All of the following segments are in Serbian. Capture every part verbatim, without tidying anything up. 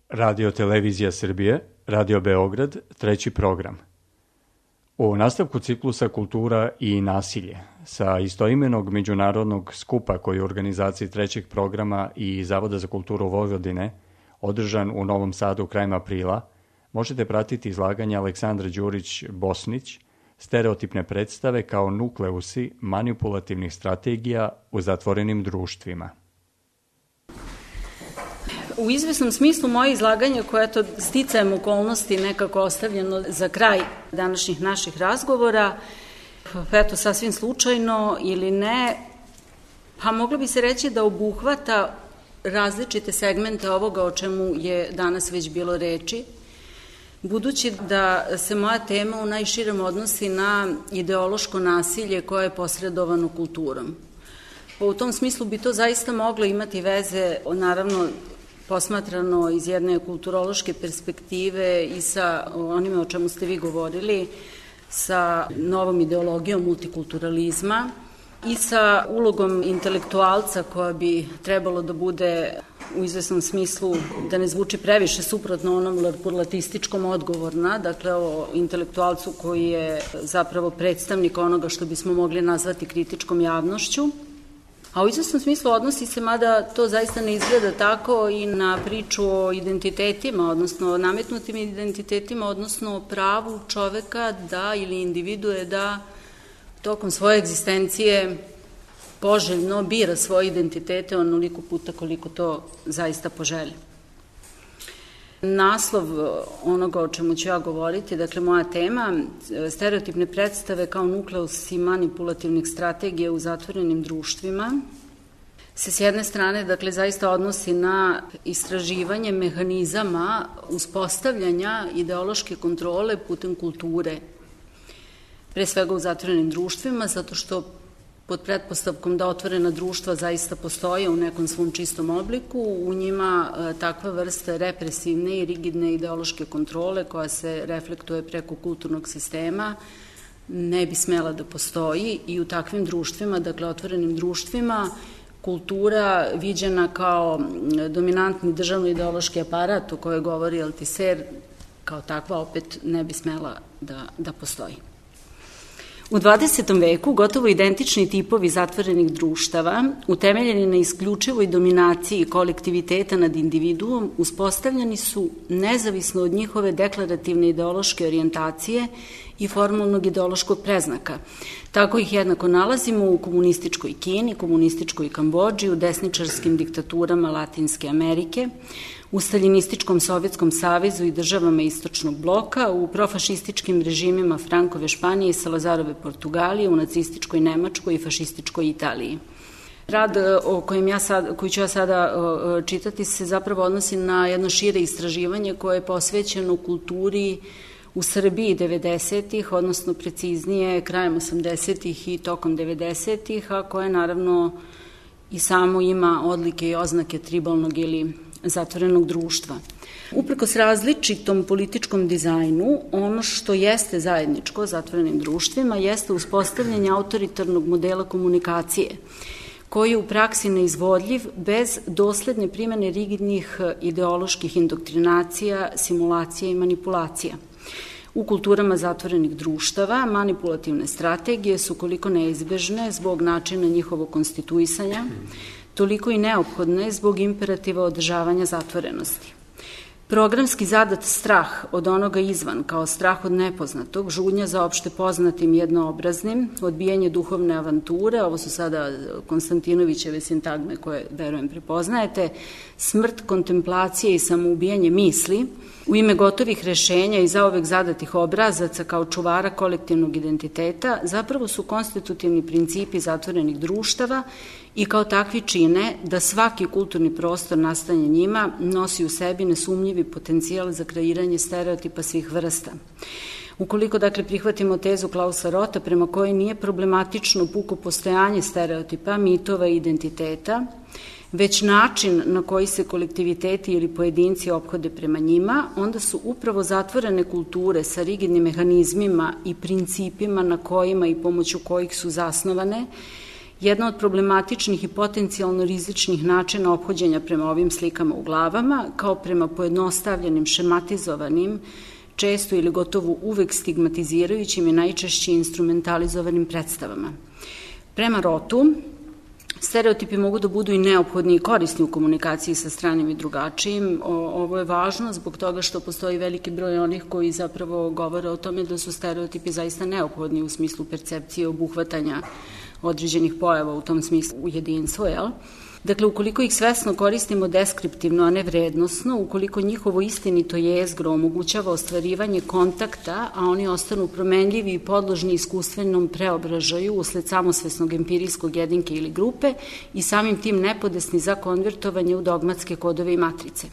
Radio Televizija Srbije, Radio Beograd, treći program. U nastavku ciklusa Kultura i nasilje sa istoimenog međunarodnog skupa koji je u organizaciji trećeg programa i Zavoda za kulturu Vojvodine održan u Novom Sadu krajem aprila, možete pratiti izlaganje Aleksandra Đurić-Bosnić, stereotipne predstave kao nukleusi manipulativnih strategija u zatvorenim društvima. U izvesnom smislu moje izlaganje, koje je to sticajem okolnosti nekako ostavljeno za kraj današnjih naših razgovora, eto sasvim slučajno ili ne, pa moglo bi se reći da obuhvata različite segmente ovoga o čemu je danas već bilo reči, budući da se moja tema u najširem odnosi na ideološko nasilje koje je posredovano kulturom. Pa u tom smislu bi to zaista moglo imati veze, naravno, posmatrano iz jedne kulturološke perspektive i sa onime o čemu ste vi govorili, sa novom ideologijom multikulturalizma i sa ulogom intelektualca koja bi trebalo da bude u izvesnom smislu, da ne zvuči previše suprotno onom larpurlatističkom odgovorna, dakle o intelektualcu koji je zapravo predstavnik onoga što bismo mogli nazvati kritičkom javnošću. A u izvesnom smislu odnosi se, mada to zaista ne izgleda tako, i na priču o identitetima, odnosno o nametnutim identitetima, odnosno o pravu čoveka da ili individue da tokom svoje egzistencije poželjno bira svoje identitete onoliko puta koliko to zaista poželi. Naslov onoga o čemu ću ja govoriti, dakle moja tema, stereotipne predstave kao nukleusi manipulativnih strategija u zatvorenim društvima, se s jedne strane, dakle, zaista odnosi na istraživanje mehanizama uspostavljanja ideološke kontrole putem kulture, pre svega u zatvorenim društvima, zato što pod pretpostavkom da otvorena društva zaista postoje u nekom svom čistom obliku, u njima takva vrsta represivne i rigidne ideološke kontrole koja se reflektuje preko kulturnog sistema ne bi smela da postoji i u takvim društvima, dakle otvorenim društvima, kultura viđena kao dominantni državno-ideološki aparat o kojoj govori Althusser, kao takva opet ne bi smela da, da postoji. U dvadesetom veku gotovo identični tipovi zatvorenih društava, utemeljeni na isključivoj dominaciji kolektiviteta nad individuom, uspostavljeni su nezavisno od njihove deklarativne ideološke orijentacije i formalnog ideološkog preznaka. Tako ih jednako nalazimo u komunističkoj Kini, komunističkoj Kambodži, u desničarskim diktaturama Latinske Amerike, u staljinističkom Sovjetskom savezu i državama Istočnog bloka, u profašističkim režimima Frankove Španije i Salazarove Portugalije, u nacističkoj Nemačkoj i fašističkoj Italiji. Rad o kojem ja sad, koji ću ja sada čitati se zapravo odnosi na jedno šire istraživanje koje je posvećeno kulturi u Srbiji devedesetih, odnosno preciznije krajem osamdesetih i tokom devedesetih, a koje naravno i samo ima odlike i oznake tribalnog ili zatvorenog društva. Uprkos različitom političkom dizajnu, ono što jeste zajedničko zatvorenim društvima jeste uspostavljanje autoritarnog modela komunikacije, koji je u praksi neizvodljiv bez dosledne primene rigidnih ideoloških indoktrinacija, simulacija i manipulacija. U kulturama zatvorenih društava manipulativne strategije su koliko neizbežne zbog načina njihovog konstituisanja, toliko i neophodne zbog imperativa održavanja zatvorenosti. Programski zadat strah od onoga izvan, kao strah od nepoznatog, žudnja za opšte poznatim jednoobraznim, odbijanje duhovne avanture, ovo su sada Konstantinovićeve sintagme koje, verujem, prepoznajete, smrt, kontemplacije i samoubijanje misli, u ime gotovih rešenja i zaovek zadatih obrazaca kao čuvara kolektivnog identiteta, zapravo su konstitutivni principi zatvorenih društava i kao takvi čine da svaki kulturni prostor nastanje njima nosi u sebi nesumnjivi potencijal za kreiranje stereotipa svih vrsta. Ukoliko, dakle, prihvatimo tezu Klausa Rota prema kojoj nije problematično puko postojanje stereotipa, mitova i identiteta, već način na koji se kolektiviteti ili pojedinci ophode prema njima, onda su upravo zatvorene kulture sa rigidnim mehanizmima i principima na kojima i pomoću kojih su zasnovane Jedna od problematičnih i potencijalno rizičnih načina ophođenja prema ovim slikama u glavama, kao prema pojednostavljenim, šematizovanim, često ili gotovo uvek stigmatizirajućim i najčešće instrumentalizovanim predstavama. Prema Rothu, stereotipi mogu da budu i neophodni i korisni u komunikaciji sa stranim i drugačijim. Ovo je važno zbog toga što postoji veliki broj onih koji zapravo govore o tome da su stereotipi zaista neophodni u smislu percepcije obuhvatanja određenih pojava u tom smislu u jedinstvo, jel? Dakle, ukoliko ih svesno koristimo deskriptivno, a ne vrednosno, ukoliko njihovo istinito jezgro omogućava ostvarivanje kontakta, a oni ostanu promenljivi i podložni iskustvenom preobražaju usled samosvesnog empirijskog jedinke ili grupe i samim tim nepodesni za konvertovanje u dogmatske kodove i matrice.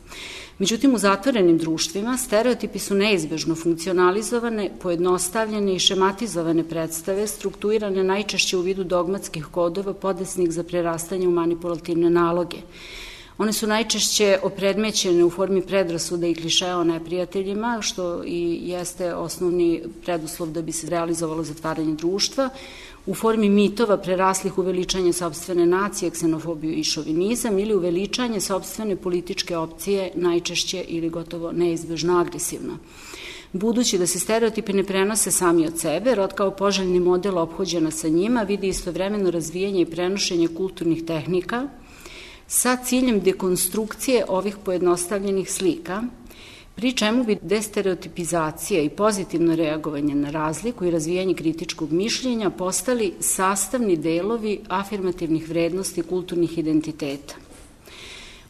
Međutim, u zatvorenim društvima stereotipi su neizbežno funkcionalizovane, pojednostavljene i šematizovane predstave, strukturirane najčešće u vidu dogmatskih kodova podesnih za prerastanje u manipulativne naloge. One su najčešće opredmećene u formi predrasuda i klišeja o neprijateljima, što i jeste osnovni preduslov da bi se realizovalo zatvaranje društva, u formi mitova preraslih u veličanje sopstvene nacije, ksenofobiju i šovinizam ili u veličanje sopstvene političke opcije, najčešće ili gotovo neizbežno agresivno. Budući da se stereotipi ne prenose sami od sebe, Rod kao poželjni model ophođena sa njima vidi istovremeno razvijanje i prenošenje kulturnih tehnika sa ciljem dekonstrukcije ovih pojednostavljenih slika, pri čemu bi destereotipizacija i pozitivno reagovanje na razliku i razvijanje kritičkog mišljenja postali sastavni delovi afirmativnih vrednosti kulturnih identiteta.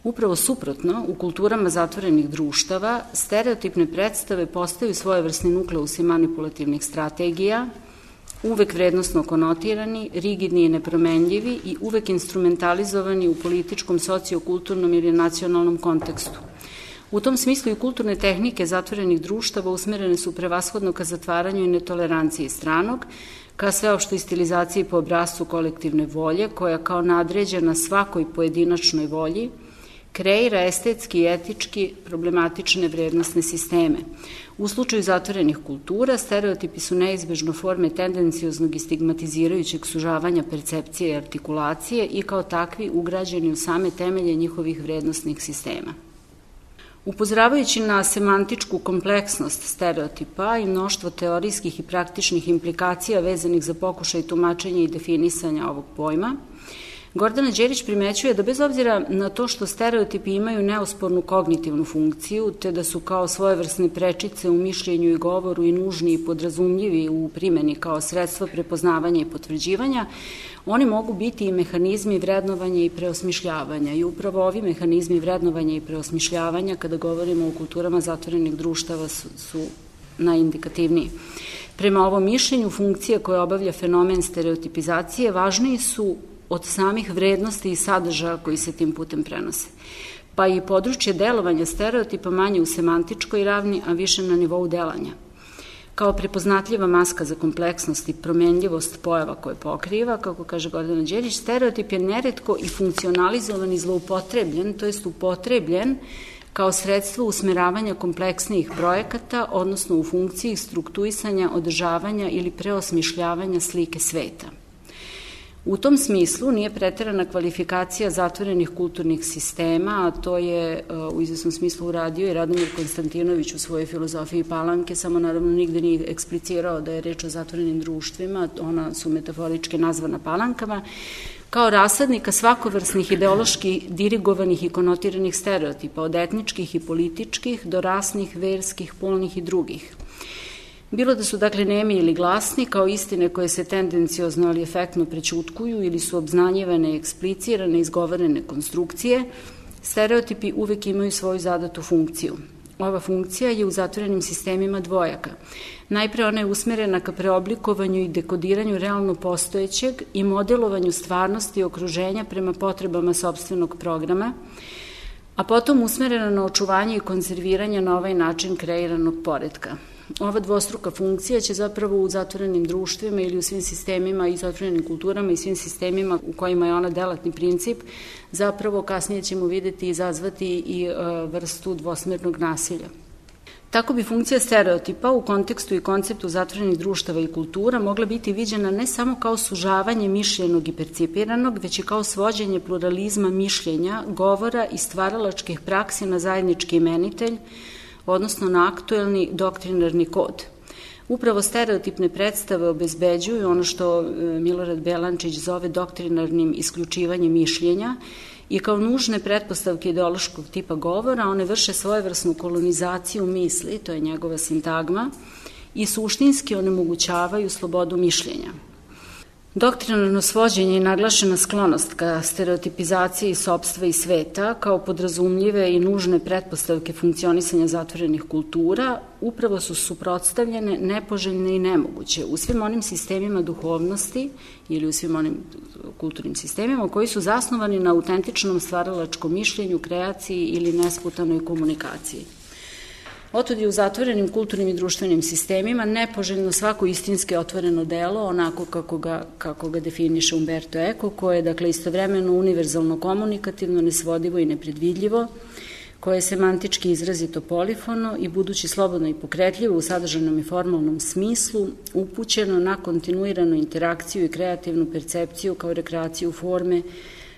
Upravo suprotno, u kulturama zatvorenih društava, stereotipne predstave postaju svojevrsni nukleusi manipulativnih strategija, uvek vrednostno konotirani, rigidni i nepromenljivi i uvek instrumentalizovani u političkom, sociokulturnom ili nacionalnom kontekstu. U tom smislu i kulturne tehnike zatvorenih društava usmerene su prevashodno ka zatvaranju i netoleranciji stranog, ka sveopštoj stilizaciji po obrascu kolektivne volje, koja kao nadređena svakoj pojedinačnoj volji kreira estetski i etički problematične vrednostne sisteme. U slučaju zatvorenih kultura, stereotipi su neizbežno forme tendencioznog i stigmatizirajućeg sužavanja percepcije i artikulacije i kao takvi ugrađeni u same temelje njihovih vrednostnih sistema. Upozoravajući na semantičku kompleksnost stereotipa i mnoštvo teorijskih i praktičnih implikacija vezanih za pokušaj tumačenja i definisanja ovog pojma, Gordana Đerić primećuje da bez obzira na to što stereotipi imaju neospornu kognitivnu funkciju, te da su kao svojevrsne prečice u mišljenju i govoru i nužni i podrazumljivi u primeni kao sredstvo prepoznavanja i potvrđivanja, oni mogu biti i mehanizmi vrednovanja i preosmišljavanja. I upravo ovi mehanizmi vrednovanja i preosmišljavanja, kada govorimo o kulturama zatvorenih društava, su, su najindikativniji. Prema ovom mišljenju, funkcije koje obavlja fenomen stereotipizacije važniji su od samih vrednosti i sadržaja koji se tim putem prenose. Pa i područje delovanja stereotipa manje u semantičkoj ravni, a više na nivou delanja. Kao prepoznatljiva maska za kompleksnost i promenljivost pojava koje pokriva, kako kaže Gordana Đerić, stereotip je neretko i funkcionalizovan i zloupotrebljen, to jest upotrebljen kao sredstvo usmeravanja kompleksnijih projekata, odnosno u funkciji struktuisanja, održavanja ili preosmišljavanja slike sveta. U tom smislu nije preterana kvalifikacija zatvorenih kulturnih sistema, a to je u izvesnom smislu uradio i Radomir Konstantinović u svojoj filozofiji Palanke, samo naravno nigde nije eksplicirao da je reč o zatvorenim društvima, ona su metaforički nazvana palankama, kao rasadnika svakovrsnih ideološki dirigovanih i konotiranih stereotipa, od etničkih i političkih do rasnih, verskih, polnih i drugih. Bilo da su dakle nemi ili glasni, kao istine koje se tendenciozno ali efektno prećutkuju ili su obznanjivane i eksplicirane, izgovorene konstrukcije, stereotipi uvek imaju svoju zadatu funkciju. Ova funkcija je u zatvorenim sistemima dvojaka. Najpre ona je usmerena ka preoblikovanju i dekodiranju realno postojećeg i modelovanju stvarnosti i okruženja prema potrebama sopstvenog programa, a potom usmerena na očuvanje i konzerviranje na ovaj način kreiranog poretka. Ova dvostruka funkcija će zapravo u zatvorenim društvima ili u svim sistemima i zatvorenim kulturama i svim sistemima u kojima je ona delatni princip, zapravo kasnije ćemo videti i izazvati i vrstu dvosmernog nasilja. Tako bi funkcija stereotipa u kontekstu i konceptu zatvorenih društava i kultura mogla biti viđena ne samo kao sužavanje mišljenog i percipiranog, već i kao svođenje pluralizma mišljenja, govora i stvaralačkih praksi na zajednički imenitelj, odnosno na aktuelni doktrinarni kod. Upravo stereotipne predstave obezbeđuju ono što Milorad Belančić zove doktrinarnim isključivanjem mišljenja i kao nužne pretpostavke ideološkog tipa govora one vrše svojevrsnu kolonizaciju misli, to je njegova sintagma, i suštinski onemogućavaju slobodu mišljenja. Doktrinarno svođenje i naglašena sklonost ka stereotipizaciji sopstva i sveta kao podrazumljive i nužne pretpostavke funkcionisanja zatvorenih kultura upravo su suprotstavljene, nepoželjne i nemoguće u svim onim sistemima duhovnosti ili u svim onim kulturnim sistemima koji su zasnovani na autentičnom stvaralačkom mišljenju, kreaciji ili nesputanoj komunikaciji. Otud je u zatvorenim kulturnim i društvenim sistemima nepoželjno svako istinski otvoreno delo, onako kako ga, kako ga definiše Umberto Eco, koje je dakle istovremeno univerzalno komunikativno, nesvodivo i nepredvidljivo, koje je semantički izrazito polifono i budući slobodno i pokretljivo u sadržajnom i formalnom smislu, upućeno na kontinuiranu interakciju i kreativnu percepciju kao rekreaciju forme,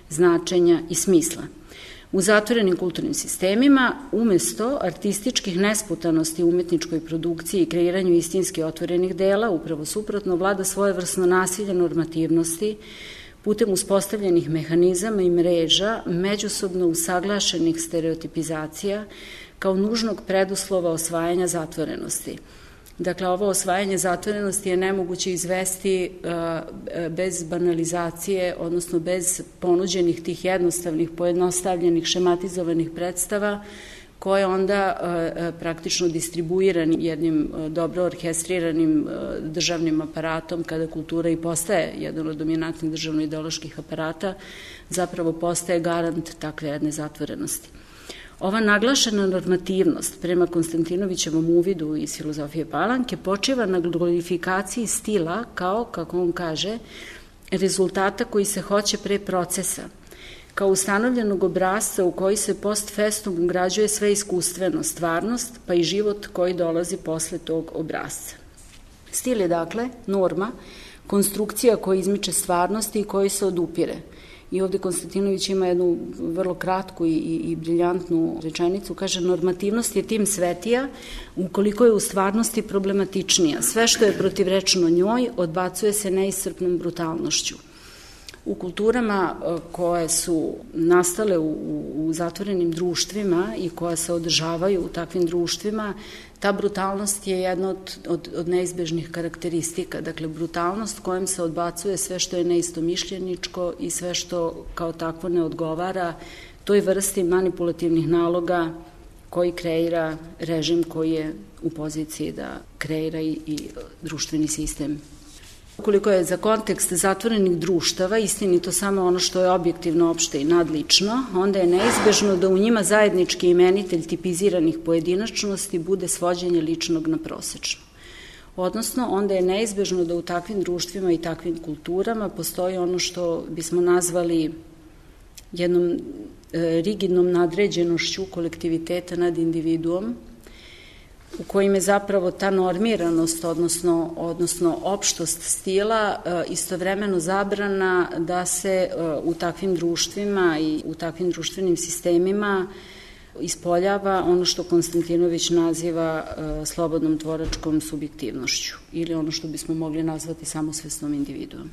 značenja i smisla. U zatvorenim kulturnim sistemima, umesto artističkih nesputanosti u umetničkoj produkciji i kreiranju istinski otvorenih dela, upravo suprotno, vlada svojevrsno nasilje normativnosti putem uspostavljenih mehanizama i mreža međusobno usaglašenih stereotipizacija kao nužnog preduslova osvajanja zatvorenosti. Dakle, ovo osvajanje zatvorenosti je nemoguće izvesti bez banalizacije, odnosno bez ponuđenih tih jednostavnih, pojednostavljenih, šematizovanih predstava, koje onda praktično distribuirani jednim dobro orkestriranim državnim aparatom, kada kultura i postaje jedan od dominantnih državno-ideoloških aparata, zapravo postaje garant takve jedne zatvorenosti. Ova naglašena normativnost prema Konstantinovićevom uvidu iz filozofije Palanke počiva na glorifikaciji stila kao, kako on kaže, rezultata koji se hoće pre procesa, kao ustanovljenog obrazca u koji se post festum ugrađuje sve iskustveno, stvarnost, pa i život koji dolazi posle tog obrazca. Stil je, dakle, norma, konstrukcija koja izmiče stvarnosti i koji se odupire. I ovde Konstantinović ima jednu vrlo kratku i, i, i briljantnu rečenicu, kaže: normativnost je tim svetija ukoliko je u stvarnosti problematičnija. Sve što je protivrečno njoj odbacuje se neiscrpnom brutalnošću. U kulturama koje su nastale u, u zatvorenim društvima i koja se održavaju u takvim društvima, ta brutalnost je jedna od, od, od neizbežnih karakteristika. Dakle, brutalnost kojom se odbacuje sve što je neistomišljeničko i sve što kao takvo ne odgovara toj vrsti manipulativnih naloga koji kreira režim koji je u poziciji da kreira i, i društveni sistem. Ukoliko je za kontekst zatvorenih društava istinito samo ono što je objektivno, opšte i nadlično, onda je neizbežno da u njima zajednički imenitelj tipiziranih pojedinačnosti bude svođenje ličnog na prosečno. Odnosno, onda je neizbežno da u takvim društvima i takvim kulturama postoji ono što bismo nazvali jednom e, rigidnom nadređenošću kolektiviteta nad individuom, u kojim je zapravo ta normiranost, odnosno, odnosno opštost stila, istovremeno zabrana da se u takvim društvima i u takvim društvenim sistemima ispoljava ono što Konstantinović naziva slobodnom tvoračkom subjektivnošću ili ono što bismo mogli nazvati samosvesnom individuom.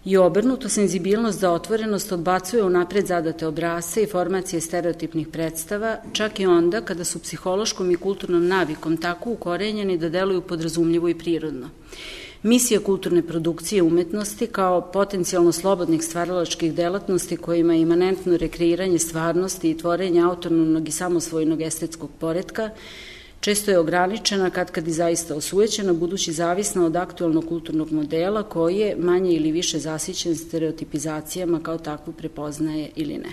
I obrnuto, senzibilnost za otvorenost odbacuje unapred zadate obrasce i formacije stereotipnih predstava, čak i onda kada su psihološkom i kulturnom navikom tako ukorenjeni da deluju podrazumljivo i prirodno. Misija kulturne produkcije umetnosti kao potencijalno slobodnih stvaralačkih delatnosti kojima je imanentno rekreiranje stvarnosti i tvorenje autonomnog i samosvojnog estetskog poretka često je ograničena, kad kad i zaista osujećena, budući zavisna od aktualnog kulturnog modela koji je manje ili više zasićen stereotipizacijama kao takvu prepoznaje ili ne.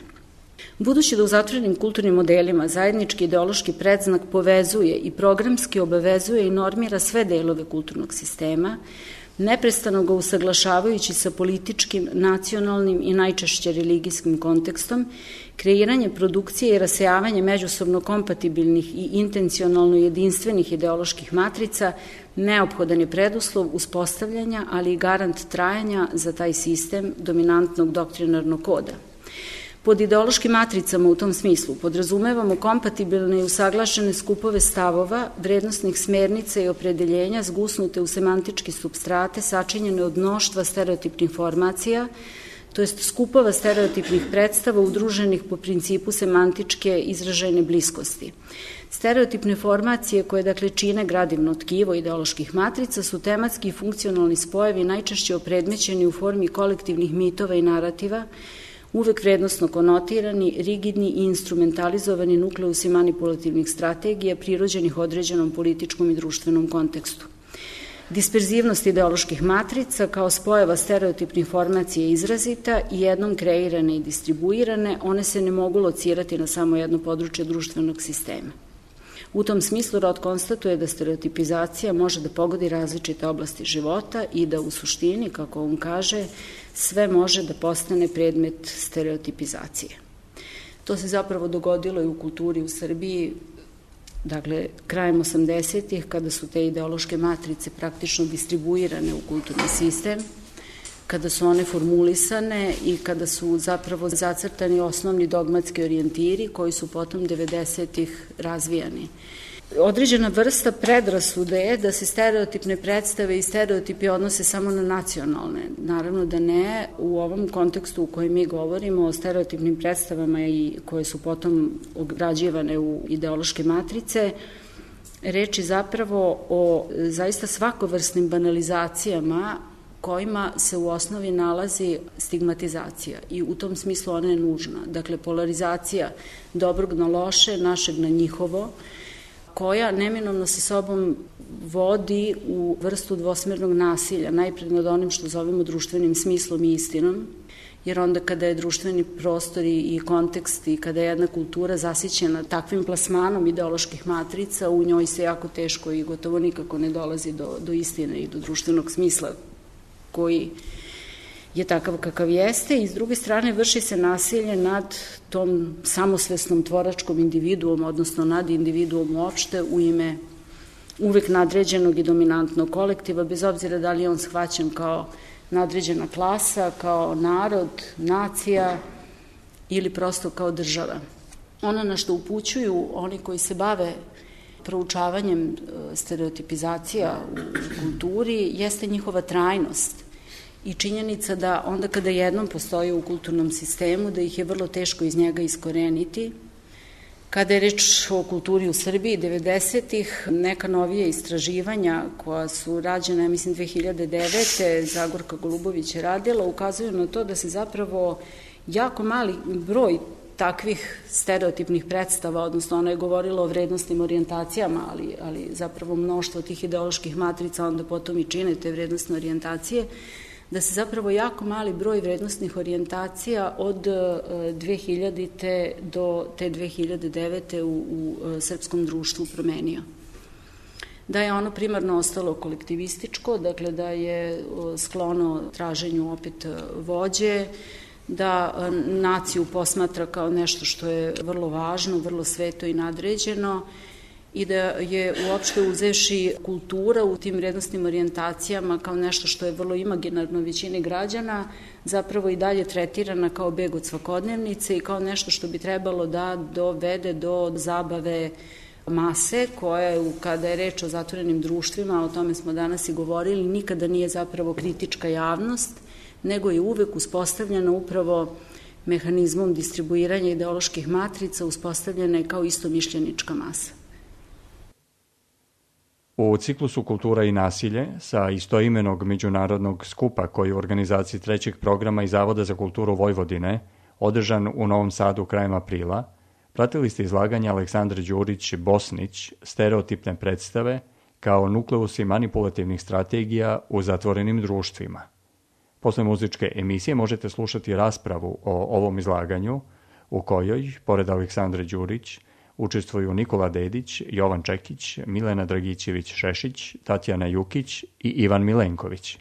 Budući da u zatvorenim kulturnim modelima zajednički ideološki predznak povezuje i programski obavezuje i normira sve delove kulturnog sistema, neprestano ga usaglašavajući sa političkim, nacionalnim i najčešće religijskim kontekstom, kreiranje produkcije i rasejavanje međusobno kompatibilnih i intencionalno jedinstvenih ideoloških matrica neophodan je preduslov uspostavljanja, ali i garant trajanja za taj sistem dominantnog doktrinarnog koda. Pod ideološkim matricama u tom smislu podrazumevamo kompatibilne i usaglašene skupove stavova, vrednostnih smernica i opredeljenja zgusnute u semantički supstrate sačinjene od mnoštva stereotipnih formacija, to jest skupova stereotipnih predstava udruženih po principu semantičke izražajne bliskosti. Stereotipne formacije koje dakle čine gradivno tkivo ideoloških matrica su tematski i funkcionalni spojevi najčešće opredmećeni u formi kolektivnih mitova i narativa, uvek vrednostno konotirani, rigidni i instrumentalizovani nukleusi manipulativnih strategija prirođenih određenom političkom i društvenom kontekstu. Disperzivnost ideoloških matrica kao spojeva stereotipnih formacija je izrazita i jednom kreirane i distribuirane, one se ne mogu locirati na samo jedno područje društvenog sistema. U tom smislu Roth konstatuje da stereotipizacija može da pogodi različite oblasti života i da u suštini, kako on kaže, sve može da postane predmet stereotipizacije. To se zapravo dogodilo i u kulturi u Srbiji, dakle, krajem osamdesetih, kada su te ideološke matrice praktično distribuirane u kulturni sistem, kada su one formulisane i kada su zapravo zacrtani osnovni dogmatski orijentiri koji su potom devedesetih razvijani. Određena vrsta predrasude je da se stereotipne predstave i stereotipi odnose samo na nacionalne. Naravno da ne, u ovom kontekstu u kojem mi govorimo o stereotipnim predstavama i koje su potom ograđivane u ideološke matrice, reč je zapravo o zaista svakovrsnim banalizacijama kojima se u osnovi nalazi stigmatizacija i u tom smislu ona je nužna. Dakle, polarizacija dobrog na loše, našeg na njihovo, koja neminovno sa sobom vodi u vrstu dvosmernog nasilja, najpred nad onim što zovemo društvenim smislom i istinom, jer onda kada je društveni prostor i kontekst i kada je jedna kultura zasićena takvim plasmanom ideoloških matrica, u njoj se jako teško i gotovo nikako ne dolazi do, do istine i do društvenog smisla koji je takav kakav jeste i s druge strane vrši se nasilje nad tom samosvesnom tvoračkom individuom, odnosno nad individuom uopšte u ime uvek nadređenog i dominantnog kolektiva, bez obzira da li je on shvaćen kao nadređena klasa, kao narod, nacija ili prosto kao država. Ono na što upućuju oni koji se bave proučavanjem stereotipizacija u kulturi jeste njihova trajnost i činjenica da onda kada jednom postoje u kulturnom sistemu da ih je vrlo teško iz njega iskoreniti. Kada je reč o kulturi u Srbiji devedesetih, neka novije istraživanja koja su rađena, ja mislim, dve hiljade devete. Zagorka Golubović je radila, ukazuju na to da se zapravo jako mali broj takvih stereotipnih predstava, odnosno ona je govorila o vrednostnim orijentacijama, ali, ali zapravo mnoštvo tih ideoloških matrica onda potom i čine te vrednostne orijentacije, da se zapravo jako mali broj vrednostnih orijentacija od dve hiljadite do te dve hiljade devete u, u srpskom društvu promenio. Da je ono primarno ostalo kolektivističko, dakle da je sklono traženju opet vođe, da naciju posmatra kao nešto što je vrlo važno, vrlo sveto i nadređeno i da je uopšte uzevši kultura u tim vrednostnim orijentacijama kao nešto što je vrlo imaginarno većini građana, zapravo i dalje tretirana kao beg od svakodnevnice i kao nešto što bi trebalo da dovede do zabave mase koja, kada je reč o zatvorenim društvima, o tome smo danas i govorili, nikada nije zapravo kritička javnost, nego je uvek uspostavljena upravo mehanizmom distribuiranja ideoloških matrica, uspostavljena je kao istomišljenička masa. U ciklusu Kultura i nasilje sa istoimenog međunarodnog skupa koji u organizaciji trećeg programa i Zavoda za kulturu Vojvodine, održan u Novom Sadu krajem aprila, pratili ste izlaganje Aleksandre Đurić-Bosnić Stereotipne predstave kao nukleusi manipulativnih strategija u zatvorenim društvima. Posle muzičke emisije možete slušati raspravu o ovom izlaganju u kojoj, pored Aleksandre Đurić, učestvuju Nikola Dedić, Jovan Čekić, Milena Dragićević-Šešić, Tatjana Jukić i Ivan Milenković.